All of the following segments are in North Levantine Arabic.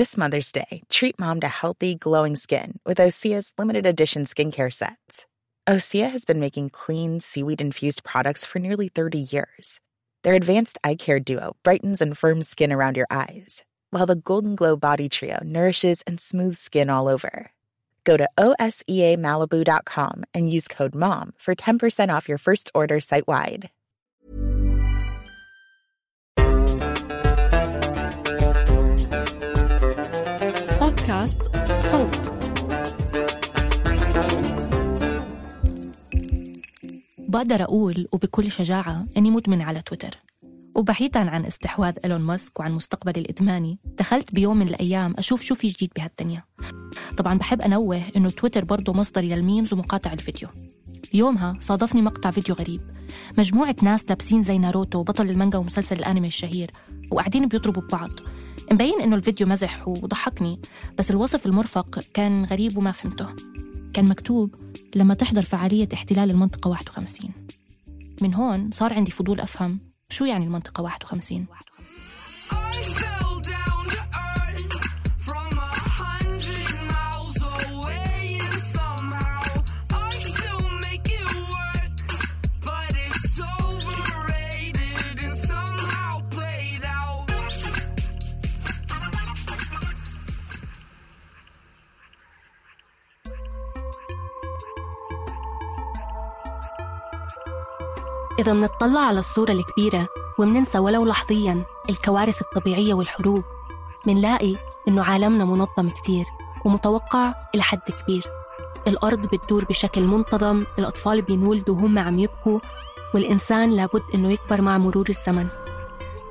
This Mother's Day, treat mom to healthy, glowing skin with Osea's limited edition skincare sets. Osea has been making clean, seaweed-infused products for nearly 30 years. Their advanced eye care duo brightens and firms skin around your eyes, while the Golden Glow Body Trio nourishes and smooths skin all over. Go to OSEAMalibu.com and use code MOM for 10% off your first order site-wide. بودكاست صوت. بقدر أقول وبكل شجاعة أني مدمن على تويتر، وبعيداً عن استحواذ إيلون ماسك وعن مستقبلي الإدماني، دخلت بيوم من الأيام أشوف شو في جديد بهالدنيا. طبعاً بحب أنوه إنه تويتر برضو مصدري للميمز ومقاطع الفيديو. يومها صادفني مقطع فيديو غريب، مجموعة ناس لابسين زي ناروتو بطل المانجا ومسلسل الأنمي الشهير وقاعدين بيضربوا ببعض. مبين إنه الفيديو مزح وضحكني، بس الوصف المرفق كان غريب وما فهمته. كان مكتوب لما تحضر فعالية احتلال المنطقة 51. من هون صار عندي فضول أفهم شو يعني المنطقة 51. إذا منطلع على الصورة الكبيرة ومننسى ولو لحظياً الكوارث الطبيعية والحروب، منلاقي إنه عالمنا منظم كتير ومتوقع إلى حد كبير. الأرض بتدور بشكل منتظم، الأطفال بينولدوا وهم عم يبكوا، والإنسان لابد إنه يكبر مع مرور الزمن.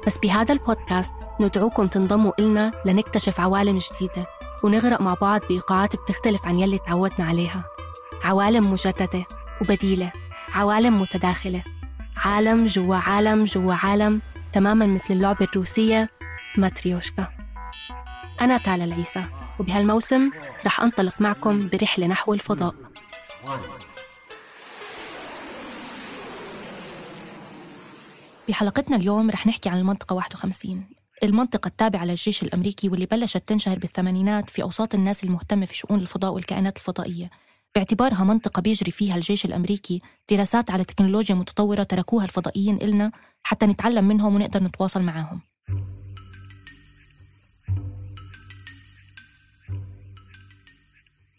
بس بهذا البودكاست ندعوكم تنضموا إلنا لنكتشف عوالم جديدة ونغرق مع بعض بإيقاعات بتختلف عن يلي تعودنا عليها. عوالم مجددة وبديلة، عوالم متداخلة، عالم جوا عالم جوا عالم، تماماً مثل اللعبة الروسية ماتريوشكا. أنا تالا العيسى، وبهالموسم رح أنطلق معكم برحلة نحو الفضاء. بحلقتنا اليوم رح نحكي عن المنطقة 51، المنطقة التابعة للجيش الأمريكي واللي بلشت تنشهر بالثمانينات في أوساط الناس المهتمة في شؤون الفضاء والكائنات الفضائية، باعتبارها منطقة بيجري فيها الجيش الأمريكي دراسات على تكنولوجيا متطورة تركوها الفضائيين إلنا حتى نتعلم منهم ونقدر نتواصل معاهم.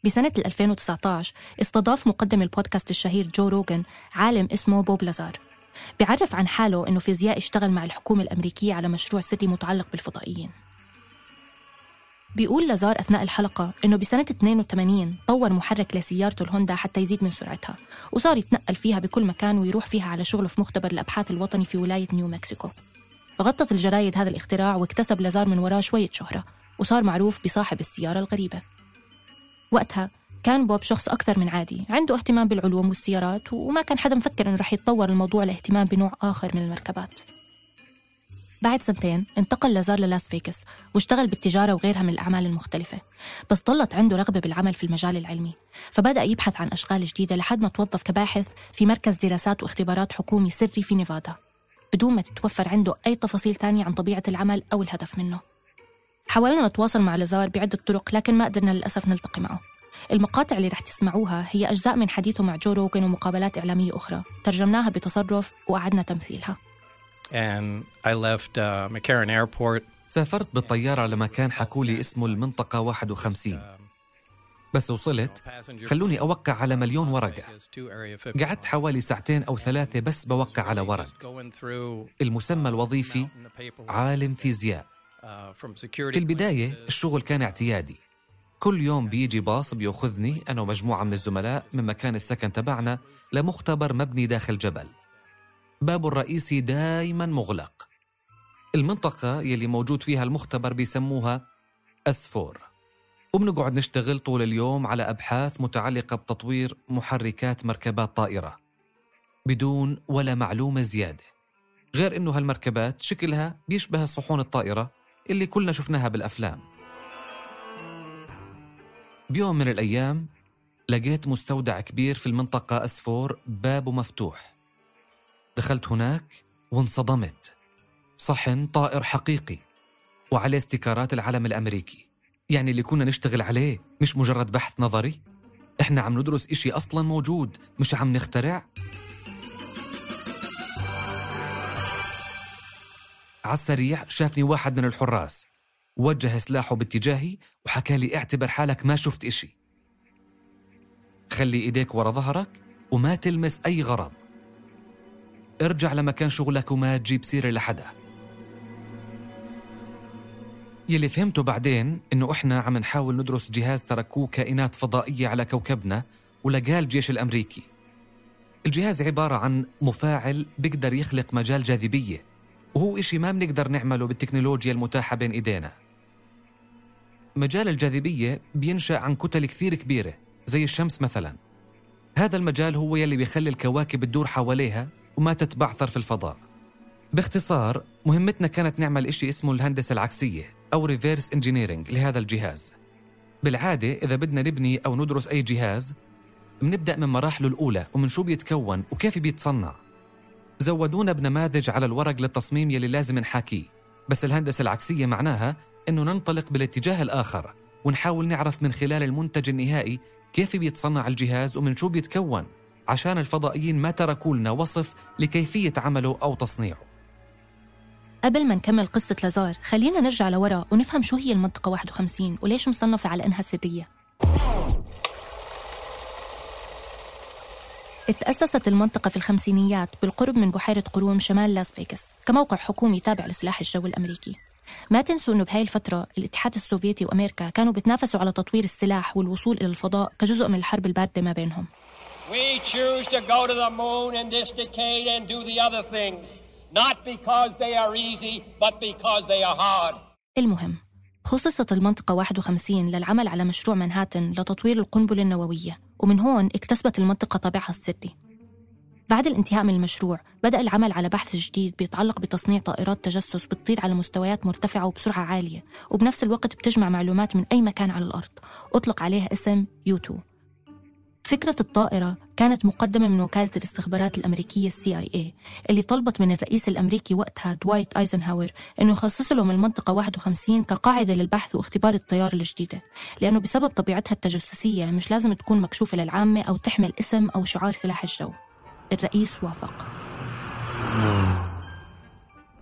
بسنة 2019 استضاف مقدم البودكاست الشهير جو روغان عالم اسمه بوب لازار، بيعرف عن حاله إنه فيزيائي اشتغل مع الحكومة الأمريكية على مشروع سري متعلق بالفضائيين. بيقول لازار أثناء الحلقة إنه بسنة 82 طور محرك لسيارته الهوندا حتى يزيد من سرعتها، وصار يتنقل فيها بكل مكان ويروح فيها على شغله في مختبر الأبحاث الوطني في ولاية نيو مكسيكو. غطت الجرايد هذا الاختراع واكتسب لازار من وراه شوية شهرة، وصار معروف بصاحب السيارة الغريبة. وقتها كان بوب شخص أكثر من عادي، عنده اهتمام بالعلوم والسيارات، وما كان حدا مفكر إنه رح يتطور الموضوع لاهتمام بنوع آخر من المركبات. بعد سنتين انتقل لازار للاس فيغاس واشتغل بالتجارة وغيرها من الأعمال المختلفة، بس ضلت عنده رغبة بالعمل في المجال العلمي، فبدأ يبحث عن أشغال جديدة لحد ما توظف كباحث في مركز دراسات واختبارات حكومي سري في نيفادا، بدون ما تتوفر عنده أي تفاصيل تانية عن طبيعة العمل أو الهدف منه. حاولنا نتواصل مع لازار بعدة طرق، لكن ما قدرنا للأسف نلتقي معه. المقاطع اللي رح تسمعوها هي أجزاء من حديثه مع جو روغان ومقابلات إعلامية أخرى ترجمناها بتصرف وأعدنا تمثيلها. And I left McCarran Airport. سافرت بالطيارة لمكان حكولي اسمه المنطقة 51. بس وصلت خلوني أوقع على 1,000,000 ورقة. قعدت حوالي 2 أو 3 بس بوقع على ورق. المسمى الوظيفي عالم فيزياء. في البداية الشغل كان اعتيادي، كل يوم بيجي باص بيأخذني أنا ومجموعة من الزملاء من مكان السكن تبعنا لمختبر مبني داخل جبل، بابه الرئيسي دايماً مغلق. المنطقة يلي موجود فيها المختبر بيسموها أسفور، وبنقعد نشتغل طول اليوم على أبحاث متعلقة بتطوير محركات مركبات طائرة بدون ولا معلومة زيادة، غير إنه هالمركبات شكلها بيشبه الصحون الطائرة اللي كلنا شفناها بالأفلام. بيوم من الأيام لقيت مستودع كبير في المنطقة أسفور بابه مفتوح. دخلت هناك وانصدمت، صحن طائر حقيقي وعليه استيكارات العلم الأمريكي، يعني اللي كنا نشتغل عليه مش مجرد بحث نظري؟ إحنا عم ندرس إشي أصلاً موجود، مش عم نخترع؟ عالسريع شافني واحد من الحراس، وجه سلاحه باتجاهي وحكى لي اعتبر حالك ما شفت إشي، خلي إيديك ورا ظهرك وما تلمس أي غرض، ارجع لمكان شغلك وما تجيب سيرة لحدا. يلي فهمته بعدين إنه إحنا عم نحاول ندرس جهاز تركوه كائنات فضائية على كوكبنا ولقاه الجيش الأمريكي. الجهاز عبارة عن مفاعل بيقدر يخلق مجال جاذبية، وهو إشي ما بنقدر نعمله بالتكنولوجيا المتاحة بين إيدينا. مجال الجاذبية بينشأ عن كتل كثير كبيرة زي الشمس مثلا. هذا المجال هو يلي بيخلي الكواكب تدور حواليها وما تتبعثر في الفضاء. باختصار مهمتنا كانت نعمل إشي اسمه الهندسة العكسية أو ريفيرس انجينيرينج لهذا الجهاز. بالعادة إذا بدنا نبني أو ندرس أي جهاز بنبدأ من مراحله الأولى ومن شو بيتكون وكيف بيتصنع. زودونا بنماذج على الورق للتصميم يلي لازم نحاكيه، بس الهندسة العكسية معناها إنه ننطلق بالاتجاه الآخر ونحاول نعرف من خلال المنتج النهائي كيف بيتصنع الجهاز ومن شو بيتكون، عشان الفضائيين ما تركوا لنا وصف لكيفية عمله أو تصنيعه. قبل ما نكمل قصة لازار خلينا نرجع لورا ونفهم شو هي المنطقة 51 وليش مصنفة على إنها سرية. اتأسست المنطقة في الخمسينيات بالقرب من بحيرة قروم شمال لاس فيغاس كموقع حكومي تابع لسلاح الجو الأمريكي. ما تنسوا إنه بهاي الفترة الاتحاد السوفيتي وأمريكا كانوا بتنافسوا على تطوير السلاح والوصول إلى الفضاء كجزء من الحرب الباردة ما بينهم. We choose to go to the moon in this decade and do the other things, not because they are easy, but because they are hard. المهم خصصت المنطقة 51 للعمل على مشروع منهاتن لتطوير القنبلة النووية، ومن هون اكتسبت المنطقة طابعها السري. بعد الانتهاء من المشروع بدأ العمل على بحث جديد بيتعلق بتصنيع طائرات تجسس بتطير على مستويات مرتفعة وبسرعة عالية، وبنفس الوقت بتجمع معلومات من أي مكان على الأرض. أطلق عليها اسم U2. فكرة الطائرة كانت مقدمة من وكالة الاستخبارات الأمريكية CIA اللي طلبت من الرئيس الأمريكي وقتها دوايت أيزنهاور إنه يخصص لهم المنطقة 51 كقاعدة للبحث واختبار الطيارة الجديدة، لأنه بسبب طبيعتها التجسسية مش لازم تكون مكشوفة للعامة أو تحمل اسم أو شعار سلاح الجو. الرئيس وافق.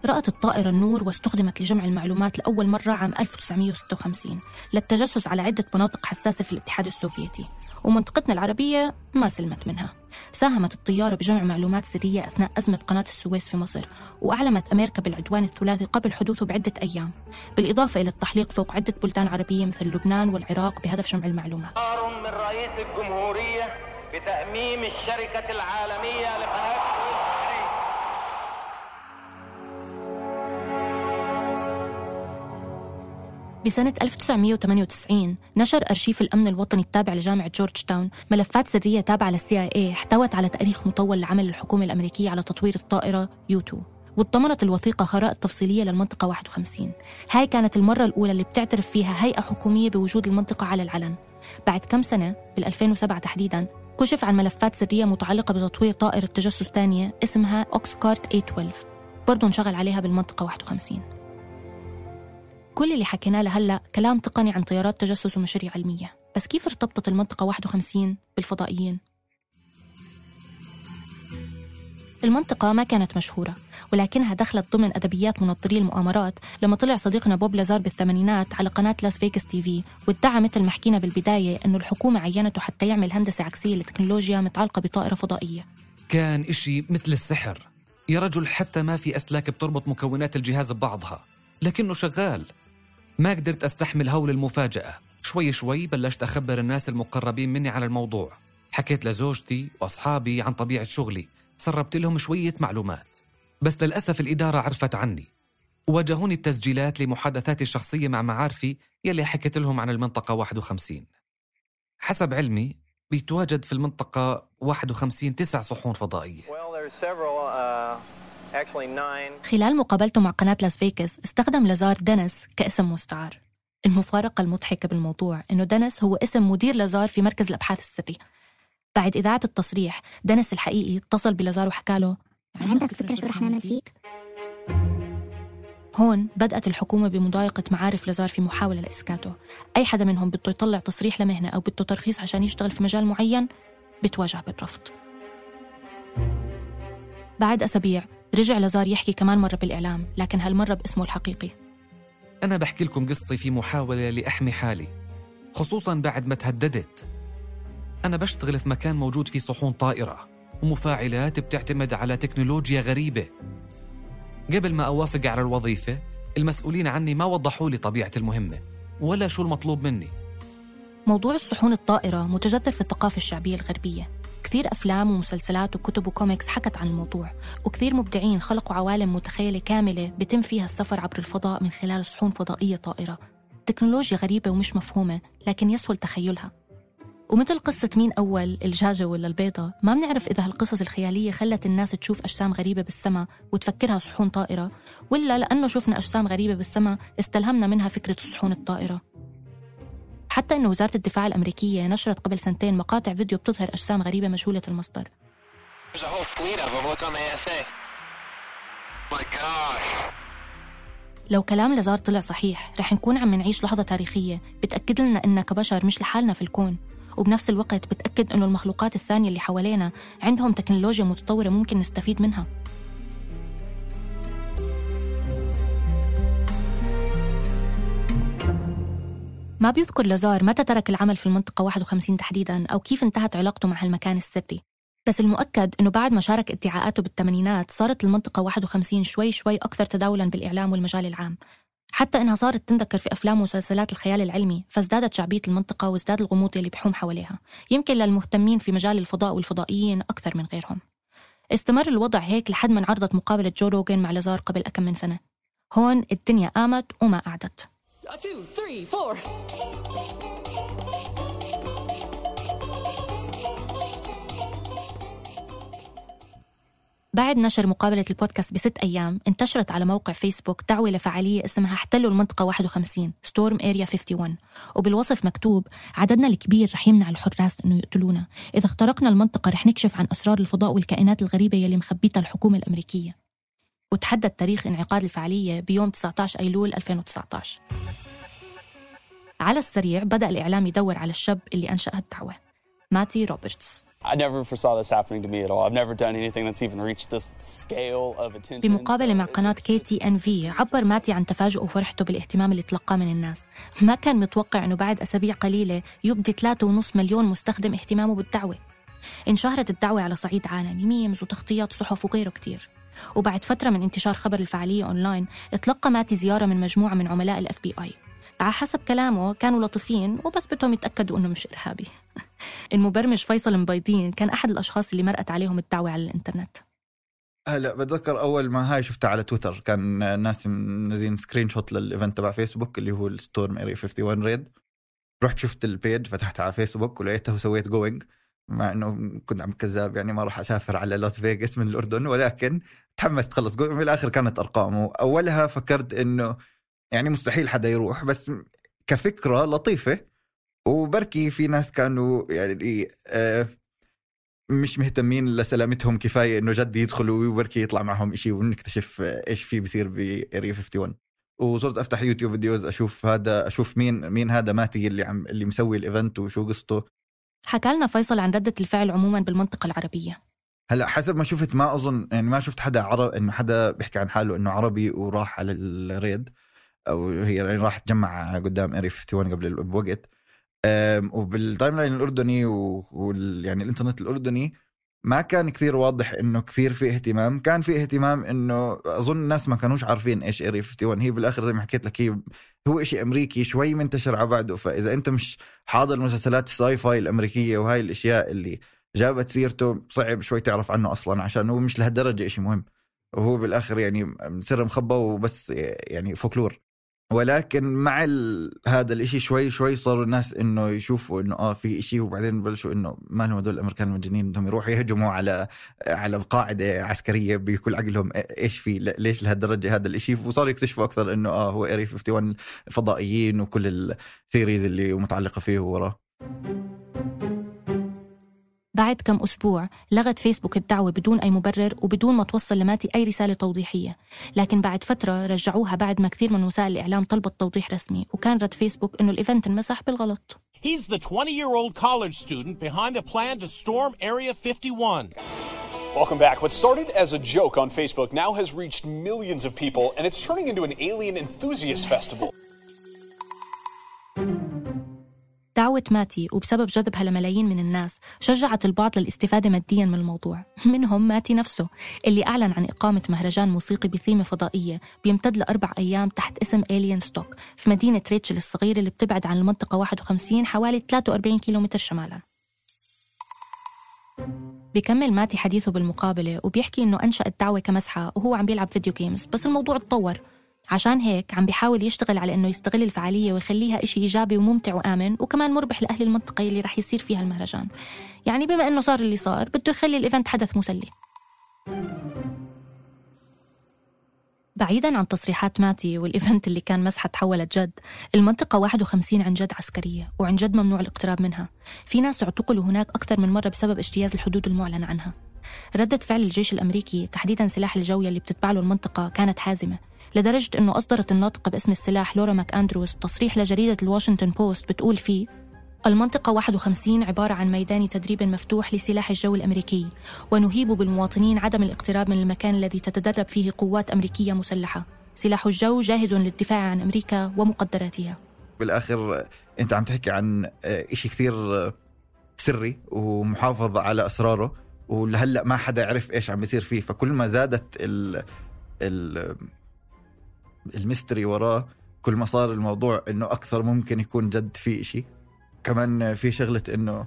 رأت الطائرة النور واستخدمت لجمع المعلومات لأول مرة عام 1956 للتجسس على عدة مناطق حساسة في الاتحاد السوفيتي، ومنطقتنا العربية ما سلمت منها. ساهمت الطيارة بجمع معلومات سرية أثناء أزمة قناة السويس في مصر، وأعلمت أمريكا بالعدوان الثلاثي قبل حدوثه بعدة أيام، بالإضافة إلى التحليق فوق عدة بلدان عربية مثل لبنان والعراق بهدف جمع المعلومات. من رئيس الجمهورية بتأميم الشركة العالمية لقناة بسنة 1998 نشر أرشيف الأمن الوطني التابع لجامعة جورج تاون ملفات سرية تابعة للCIA احتوت على تاريخ مطول لعمل الحكومة الأمريكية على تطوير الطائرة U2، واتضمنت الوثيقة خرائط تفصيلية للمنطقة 51. هاي كانت المرة الأولى اللي بتعترف فيها هيئة حكومية بوجود المنطقة على العلن. بعد كم سنة بال2007 تحديداً كشف عن ملفات سرية متعلقة بتطوير طائرة تجسس تانية اسمها أوكسكارت A12 برضو انشغل عليها بالمنطقة 51. كل اللي حكيناه لهلأ كلام تقني عن طيارات تجسس ومشاريع علمية، بس كيف ارتبطت المنطقة 51 بالفضائيين؟ المنطقة ما كانت مشهورة، ولكنها دخلت ضمن أدبيات منظري المؤامرات لما طلع صديقنا بوب لازار بالثمانينات على قناة لاس فيغاس TV وادعى مثل ما حكينا بالبداية أنه الحكومة عينته حتى يعمل هندسة عكسية لتكنولوجيا متعلقة بطائرة فضائية. كان إشي مثل السحر يا رجل، حتى ما في أسلاك بتربط مكونات الجهاز ببعضها، لكنه شغال. ما قدرت أستحمل هول المفاجأة. شوي شوي بلشت أخبر الناس المقربين مني على الموضوع، حكيت لزوجتي وأصحابي عن طبيعة شغلي، سربت لهم شوية معلومات، بس للأسف الإدارة عرفت عني وواجهوني بتسجيلات لمحادثاتي الشخصية مع معارفي يلي حكيت لهم عن المنطقة 51. حسب علمي بيتواجد في المنطقة 51 9 صحون فضائية. خلال مقابلته مع قناة لاس فيغاس استخدم لازار دينيس كاسم مستعار. المفارقة المضحكة بالموضوع إنه دينيس هو اسم مدير لازار في مركز الأبحاث السري. بعد إذاعة التصريح دينيس الحقيقي اتصل بلازار وحكى له: عندك فكرة شو رح نعمل فيك؟ هون بدأت الحكومة بمضايقة معارف لازار في محاولة لإسكاته. أي حدا منهم بده يطلع تصريح لمهنة أو بده ترخيص عشان يشتغل في مجال معين بتواجه بالرفض. بعد أسابيع رجع لازار يحكي كمان مرة بالإعلام، لكن هالمرة باسمه الحقيقي. أنا بحكي لكم قصتي في محاولة لأحمي حالي، خصوصاً بعد ما تهددت. أنا بشتغل في مكان موجود فيه صحون طائرة ومفاعلات بتعتمد على تكنولوجيا غريبة. قبل ما أوافق على الوظيفة المسؤولين عني ما وضحوا لي طبيعة المهمة ولا شو المطلوب مني. موضوع الصحون الطائرة متجذر في الثقافة الشعبية الغربية. كثير أفلام ومسلسلات وكتب وكوميكس حكت عن الموضوع، وكثير مبدعين خلقوا عوالم متخيلة كاملة بتم فيها السفر عبر الفضاء من خلال صحون فضائية طائرة. تكنولوجيا غريبة ومش مفهومة لكن يسهل تخيلها. ومثل قصة مين أول الدجاجة ولا البيضة، ما بنعرف إذا هالقصص الخيالية خلت الناس تشوف أجسام غريبة بالسماء وتفكرها صحون طائرة، ولا لأنه شفنا أجسام غريبة بالسماء استلهمنا منها فكرة الصحون الطائرة. حتى إنه وزارة الدفاع الأمريكية نشرت قبل سنتين مقاطع فيديو بتظهر أجسام غريبة مجهولة المصدر. لو كلام لازار طلع صحيح رح نكون عم نعيش لحظة تاريخية بتأكد لنا إننا كبشر مش لحالنا في الكون، وبنفس الوقت بتأكد إنه المخلوقات الثانية اللي حوالينا عندهم تكنولوجيا متطورة ممكن نستفيد منها. ما بيذكر لازار متى ترك العمل في المنطقة 51 تحديداً أو كيف انتهت علاقته مع هالمكان السري، بس المؤكد إنه بعد ما شارك ادعاءاته بالثمانينات صارت المنطقة 51 شوي شوي أكثر تداولاً بالإعلام والمجال العام، حتى إنها صارت تنذكر في أفلام ومسلسلات الخيال العلمي، فازدادت شعبية المنطقة وازداد الغموض اللي بيحوم حواليها، يمكن للمهتمين في مجال الفضاء والفضائيين أكثر من غيرهم. استمر الوضع هيك لحد ما انعرضت مقابلة جو روغن مع لازار قبل أكم من سنة. هون الدنيا قامت وما قعدت. 2 3 4 بعد نشر مقابلة البودكاست ب6 أيام انتشرت على موقع فيسبوك دعوة لفعالية اسمها احتلوا المنطقة 51 Storm Area 51، وبالوصف مكتوب: عددنا الكبير رح يمنع الحراس إنه يقتلونا، إذا اخترقنا المنطقة رح نكشف عن أسرار الفضاء والكائنات الغريبة يلي مخبيتها الحكومة الأمريكية. وتحدد تاريخ انعقاد الفعالية بيوم 19 أيلول 2019. على السريع بدأ الإعلام يدور على الشاب اللي أنشأ هالدعوة، ماتي روبرتس. I never foresaw this happening to me at all. I've never done anything that's even reached this scale of attention. بمقابلة مع قناة KTNV عبر ماتي عن تفاجؤه وفرحته بالاهتمام اللي تلقاه من الناس. ما كان متوقع أنه بعد أسابيع قليلة يبدي 3.5 مليون مستخدم اهتمامه بالدعوة. انشهرت الدعوة على صعيد عالمي، ميمز وتغطيات صحف وغيره كتير. وبعد فترة من انتشار خبر الفعالية أونلاين اتلقى ماتي زيارة من مجموعة من عملاء الFBI. على حسب كلامه كانوا لطيفين وبس بدهم يتأكدوا أنه مش إرهابي. المبرمج فيصل مبيضين كان أحد الأشخاص اللي مرقت عليهم الدعوة على الإنترنت. هلا بتذكر أول ما هاي شفتها على تويتر كان الناس منزلين سكرين شوت للإيفنت تبع فيسبوك اللي هو الستورم إيريا 51 ريد. رحت شفت البيج، فتحتها على فيسبوك ولقيته وسويت جوينج، مع إنه كنت عم كذاب يعني ما راح أسافر على لاس فيغاس من الأردن، ولكن تحمست خلص. في الآخر كانت أرقامه. أولها فكرت إنه يعني مستحيل حدا يروح، بس كفكرة لطيفة، وبركي في ناس كانوا يعني مش مهتمين لسلامتهم كفاية إنه جد يدخلوا وبركي يطلع معهم إشي ونكتشف إيش فيه بيصير بإيريا 51. وصرت أفتح يوتيوب فيديوز أشوف مين هذا ماتي اللي مسوي الإيفنت وشو قصته. حكى لنا فيصل عن ردة الفعل عموما بالمنطقة العربية. هلا حسب ما شفت ما أظن يعني ما شفت حدا عرب إنه حدا بيحكي عن حاله إنه عربي وراح على الريد، أو هي يعني راح تجمع قدام إيريا 51 قبل بوقت. وبالتايم لاين الأردني يعني الإنترنت الأردني ما كان كثير واضح إنه كثير في اهتمام. كان في اهتمام إنه أظن الناس ما كانوش عارفين إيش إيريا 51. هي بالآخر زي ما حكيت لك هو إشي أمريكي شوي منتشر على بعده، فإذا أنت مش حاضر مسلسلات الساي فاي الأمريكية وهاي الأشياء اللي جابت سيرته صعب شوي تعرف عنه أصلا، عشان هو مش لهالدرجة إشي مهم، وهو بالآخر يعني سر مخبى وبس يعني فولكلور. ولكن مع هذا الاشي شوي صاروا الناس انه يشوفوا انه في اشي، وبعدين بلشوا انه ما لهم هدول الامريكان المجانين بدهم يروحوا يهجموا على قاعدة عسكرية بكل عقلهم ايش في ليش لهالدرجة هذا الاشي. وصاروا يكتشفوا اكثر انه هو إيريا 51 الفضائيين وكل الثيريز اللي متعلقة فيه وراه. بعد كم أسبوع لغت فيسبوك الدعوة بدون أي مبرر وبدون ما توصل لماتي أي رسالة توضيحية، لكن بعد فترة رجعوها بعد ما كثير من وسائل الإعلام طلبت توضيح رسمي، وكان رد فيسبوك إنه الإيفنت انمسح بالغلط. He's the 20-year-old college student behind the plan to storm Area 51. Welcome back. What started as a joke on Facebook now has reached millions of people, and it's turning into an alien enthusiast festival. دعوة ماتي وبسبب جذبها لملايين من الناس شجعت البعض للاستفادة مادياً من الموضوع، منهم ماتي نفسه اللي أعلن عن إقامة مهرجان موسيقي بثيمة فضائية بيمتد ل4 أيام تحت اسم Alien Stock في مدينة ريتشل الصغيرة اللي بتبعد عن المنطقة 51 حوالي 43 كيلومتر شمالاً. بيكمل ماتي حديثه بالمقابلة وبيحكي إنه أنشأ الدعوة كمسحة وهو عم بيلعب فيديو جيمز، بس الموضوع اتطور، عشان هيك عم بيحاول يشتغل على إنه يستغل الفعالية ويخليها إشي إيجابي وممتع وآمن وكمان مربح لأهل المنطقة اللي رح يصير فيها المهرجان. يعني بما إنه صار اللي صار بده يخلي الإيفنت حدث مسلي. بعيداً عن تصريحات ماتي والإيفنت اللي كان مسحة تحولت جد، المنطقة 51 عن جد عسكرية وعن جد ممنوع الاقتراب منها. في ناس اعتقلوا هناك أكثر من مرة بسبب اجتياز الحدود المعلن عنها. ردة فعل الجيش الأمريكي تحديداً سلاح الجوية اللي بتتبع له المنطقة كانت حازمة، لدرجة أنه أصدرت الناطقة باسم السلاح لورا ماك أندروز تصريح لجريدة الواشنطن بوست بتقول فيه: المنطقة 51 عبارة عن ميدان تدريب مفتوح لسلاح الجو الأمريكي، ونهيب بالمواطنين عدم الاقتراب من المكان الذي تتدرب فيه قوات أمريكية مسلحة. سلاح الجو جاهز للدفاع عن أمريكا ومقدراتها. بالآخر أنت عم تحكي عن إشي كثير سري ومحافظ على أسراره، ولهلأ ما حدا يعرف إيش عم بيصير فيه. فكل ما زادت الميستري وراه، كل ما صار الموضوع إنه أكثر ممكن يكون جد فيه إشي. كمان في شغلة إنه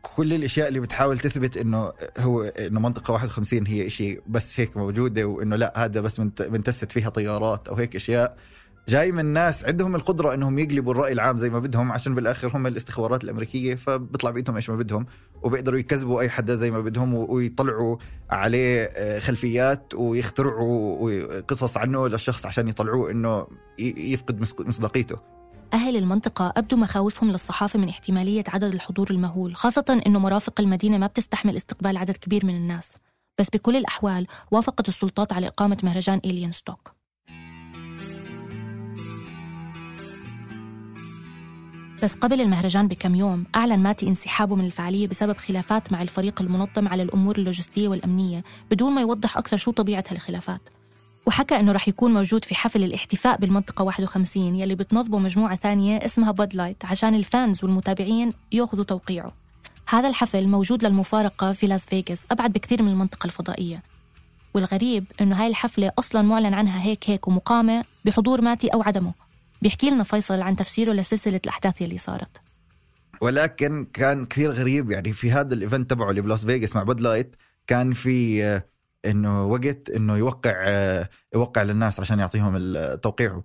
كل الأشياء اللي بتحاول تثبت إنه منطقة 51 هي إشي بس هيك موجودة، وإنه لا هذا بس بنتست فيها طيارات أو هيك أشياء جاي من ناس عندهم القدرة إنهم يقلبوا الرأي العام زي ما بدهم، عشان بالآخر هم الاستخبارات الأمريكية، فبيطلع بيدهم إيش ما بدهم وبيقدروا يكذبوا أي حدا زي ما بدهم ويطلعوا عليه خلفيات ويخترعوا قصص عنه للشخص عشان يطلعوه إنه يفقد مصداقيته. أهل المنطقة أبدوا مخاوفهم للصحافة من احتمالية عدد الحضور المهول، خاصة إنه مرافق المدينة ما بتستحمل استقبال عدد كبير من الناس. بس بكل الأحوال وافقت السلطات على إقامة مهرجان Alien Stock. بس قبل المهرجان بكم يوم أعلن ماتي انسحابه من الفعالية بسبب خلافات مع الفريق المنظم على الأمور اللوجستية والأمنية، بدون ما يوضح أكثر شو طبيعة هالخلافات. وحكى إنه رح يكون موجود في حفل الاحتفاء بالمنطقة 51 يلي بتنظمه مجموعة ثانية اسمها باد لايت عشان الفانز والمتابعين يأخذوا توقيعه. هذا الحفل موجود للمفارقة في لاس فيغاس، أبعد بكثير من المنطقة الفضائية. والغريب إنه هاي الحفلة أصلاً معلن عنها هيك ومقامة بحضور ماتي أو عدمه. بيحكي لنا فيصل عن تفسيره لسلسلة الأحداث اللي صارت. ولكن كان كثير غريب، يعني في هذا الإيفنت تبعه اللي بلاس فيغاس مع باد لايت كان في إنه وقت إنه يوقع للناس عشان يعطيهم التوقيع،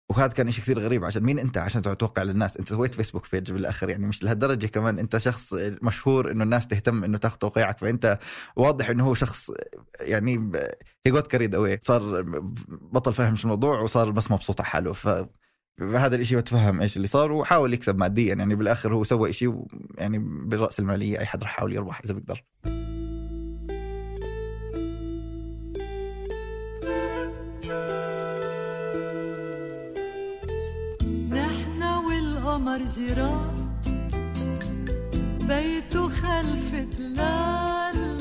وهذا كان إشي كثير غريب. عشان مين أنت عشان توقع للناس؟ أنت سويت فيسبوك بيج بالآخر، يعني مش لهالدرجة كمان أنت شخص مشهور إنه الناس تهتم إنه تاخذ توقيعك، فأنت واضح إنه هو شخص يعني he got carried away، صار بطل فاهم شو الموضوع وصار بس مبسوط على حاله. فهذا الإشي بتفهم إيش اللي صار وحاول يكسب ماديا، يعني بالآخر هو سوى إشي يعني بالرأس المالية أي حد رح يحاول يربح إذا بيقدر. جيران بيته خلف تلال.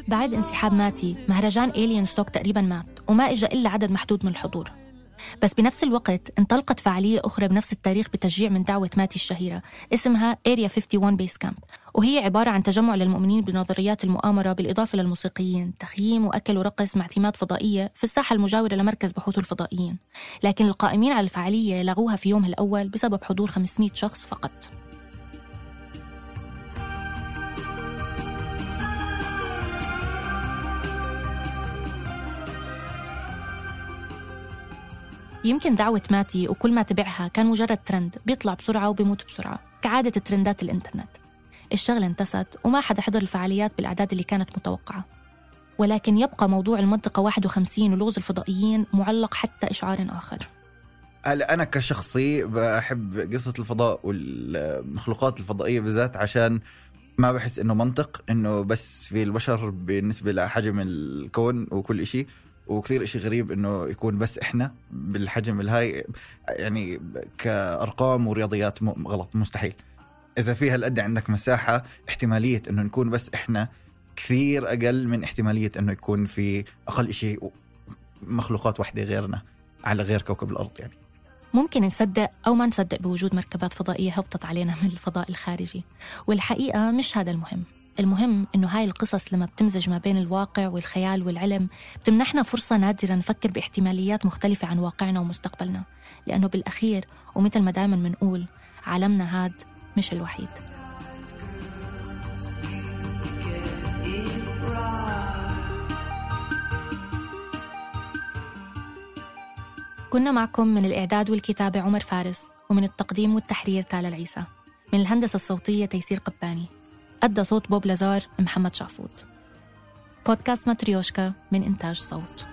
بعد انسحاب ماتي مهرجان Alien Stock تقريباً مات وما إجا إلا عدد محدود من الحضور. بس بنفس الوقت انطلقت فعالية أخرى بنفس التاريخ بتشجيع من دعوة ماتي الشهيرة اسمها Area 51 Base Camp، وهي عبارة عن تجمع للمؤمنين بنظريات المؤامرة بالإضافة للموسيقيين، تخييم وأكل ورقص مع تيمات فضائية في الساحة المجاورة لمركز بحوث الفضائيين. لكن القائمين على الفعالية لغوها في يومها الأول بسبب حضور 500 شخص فقط. يمكن دعوة ماتي وكل ما تبعها كان مجرد ترند بيطلع بسرعة وبيموت بسرعة كعادة الترندات الإنترنت. الشغلة انتست وما حدا حضر الفعاليات بالأعداد اللي كانت متوقعة، ولكن يبقى موضوع المنطقة 51 ولغز الفضائيين معلق حتى إشعار آخر. هلا أنا كشخصي بحب قصة الفضاء والمخلوقات الفضائية بالذات عشان ما بحس إنه منطق إنه بس في البشر بالنسبة لحجم الكون وكل إشي، وكثير إشي غريب إنه يكون بس إحنا بالحجم الهاي، يعني كأرقام ورياضيات غلط، مستحيل. إذا فيها هالقد عندك مساحة، احتمالية إنه نكون بس إحنا كثير أقل من احتمالية إنه يكون في أقل إشي مخلوقات واحدة غيرنا على غير كوكب الأرض. يعني ممكن نصدق أو ما نصدق بوجود مركبات فضائية هبطت علينا من الفضاء الخارجي، والحقيقة مش هذا المهم. المهم إنه هاي القصص لما بتمزج ما بين الواقع والخيال والعلم بتمنحنا فرصة نادرة نفكر باحتماليات مختلفة عن واقعنا ومستقبلنا، لأنه بالأخير ومثل ما دائما منقول، عالمنا هاد مش الوحيد. كنا معكم من الإعداد والكتابة عمر فارس، ومن التقديم والتحرير تالا العيسى، من الهندسة الصوتية تيسير قباني، أدى صوت بوب لازار محمد شعفوت. بودكاست ماتريوشكا من إنتاج صوت.